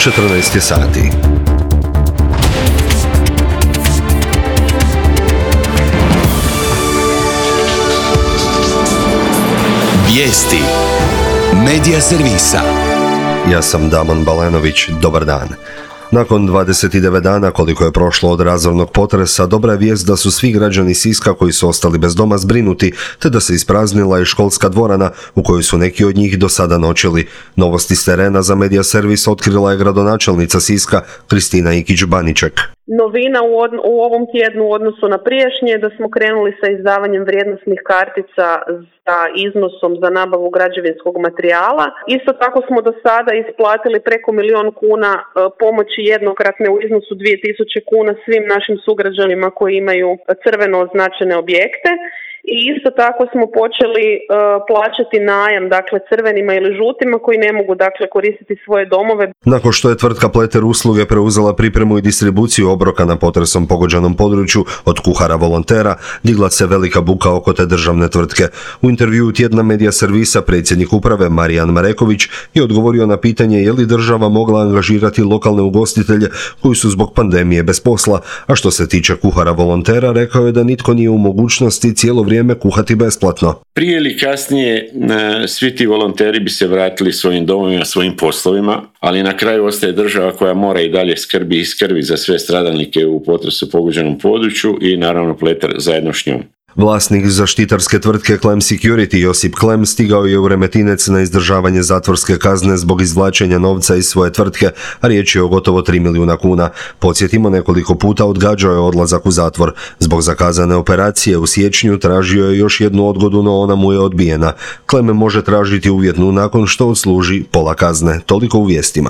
14 sati. Vijesti Medija servisa. Ja sam Damon Balenović, dobar dan. Nakon 29 dana koliko je prošlo od razornog potresa, dobra je vijest da su svi građani Siska koji su ostali bez doma zbrinuti, te da se ispraznila i školska dvorana u kojoj su neki od njih do sada noćili. Novosti s terena za Medija servis otkrila je gradonačelnica Siska Kristina Ikić-Baniček. Novina u ovom tjednu u odnosu na prijašnje je da smo krenuli sa izdavanjem vrijednosnih kartica sa iznosom za nabavu građevinskog materijala. Isto tako smo do sada isplatili preko 1.000.000 kuna pomoći jednokratne u iznosu 2.000 kuna svim našim sugrađanima koji imaju crveno označene objekte. I isto tako smo počeli plaćati najam, dakle crvenima ili žutima koji ne mogu koristiti svoje domove. Nakon što je tvrtka Pleter usluge preuzela pripremu i distribuciju obroka na potresom pogođenom području od kuhara volontera, digla se velika buka oko te državne tvrtke. U intervjuu tjedna Medija servisa predsjednik uprave Marijan Mareković je odgovorio na pitanje je li država mogla angažirati lokalne ugostitelje koji su zbog pandemije bez posla, a što se tiče kuhara volontera rekao je da nitko nije u mogućnosti cijelo vrijeme kuhati besplatno. Prije ili kasnije svi ti volonteri bi se vratili svojim domovima, svojim poslovima, ali na kraju ostaje država koja mora i dalje skrbi za sve stradalnike u potresu pogođenom području i naravno Pleter zajedno s njom. Vlasnik zaštitarske tvrtke Klem Security Josip Klem stigao je u Remetinec na izdržavanje zatvorske kazne zbog izvlačenja novca iz svoje tvrtke, a riječ je o gotovo 3 milijuna kuna. Podsjetimo, nekoliko puta odgađao je odlazak u zatvor. Zbog zakazane operacije u siječnju tražio je još jednu odgodu, no ona mu je odbijena. Klem može tražiti uvjetnu nakon što odsluži pola kazne. Toliko u vijestima.